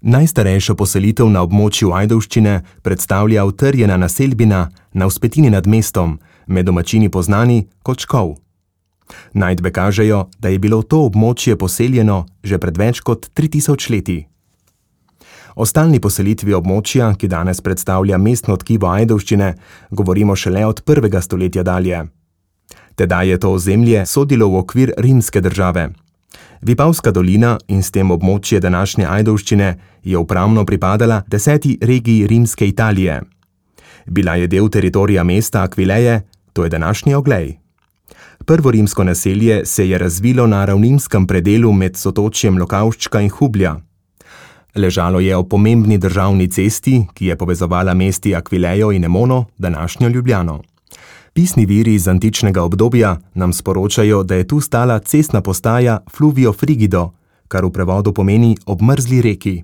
Najstarejšo poselitev na območju Ajdovščine predstavlja utrjena naselbina na vzpetini nad mestom, med domačini poznani kot Škov. Najdbe kažejo, da je bilo to območje poseljeno že pred več kot 3000 leti. O stalni poselitvi območja, ki danes predstavlja mestno tkivo Ajdovščine, govorimo šele od 1. stoletja dalje. Tedaj je to ozemlje sodilo v okvir rimske države. Vipavska dolina in s tem območje današnje Ajdovščine je upravno pripadala 10. regiji rimske Italije. Bila je del teritorija mesta Aquileje, to je današnji Oglej. Prvo rimsko naselje se je razvilo na ravninskem predelu med sotočjem Lokavščka in Hublja. Ležalo je ob pomembni državni cesti, ki je povezovala mesti Aquilejo in Emono, današnjo Ljubljano. Pisni viri iz antičnega obdobja nam sporočajo, da je tu stala cestna postaja Fluvio Frigido, kar v prevodu pomeni obmrzli reki.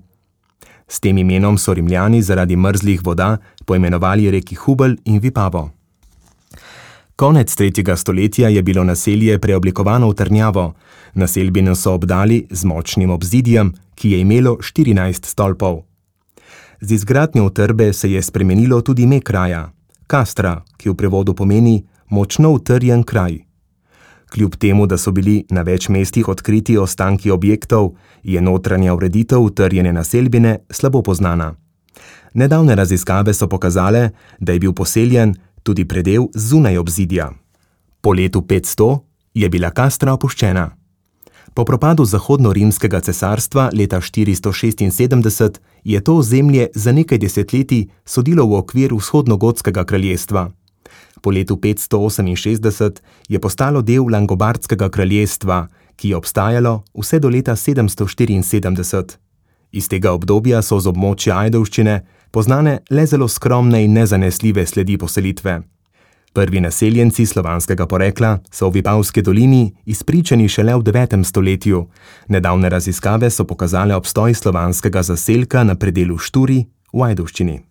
S tem imenom so Rimljani zaradi mrzlih voda poimenovali reki Hubelj in Vipavo. Konec 3. stoletja je bilo naselje preoblikovano v trdnjavo. Naselbino so obdali z močnim obzidjem, ki je imelo 14 stolpov. Z izgradnjo utrdbe se je spremenilo tudi ime kraja, Castra, ki v prevodu pomeni močno utrjen kraj. Kljub temu, da so bili na več mestih odkriti ostanki objektov, je notranja ureditev utrjene naselbine slabo poznana. Nedavne raziskave so pokazale, da je bil poseljen tudi predel zunaj obzidja. Po letu 500 je bila Castra opuščena. Po propadu zahodno-rimskega cesarstva leta 476 je to ozemlje za nekaj desetletij sodilo v okvir vzhodnogotskega kraljestva. Po letu 568 je postalo del Langobardskega kraljestva, ki je obstajalo vse do leta 774. Iz tega obdobja so z območja Ajdovščine poznane le zelo skromne in nezanesljive sledi poselitve. Prvi naseljenci slovanskega porekla so v Vipavski dolini izpričani šele v 9. stoletju. Nedavne raziskave so pokazale obstoj slovanskega zaselka na predelu Šturi v Ajdovščini.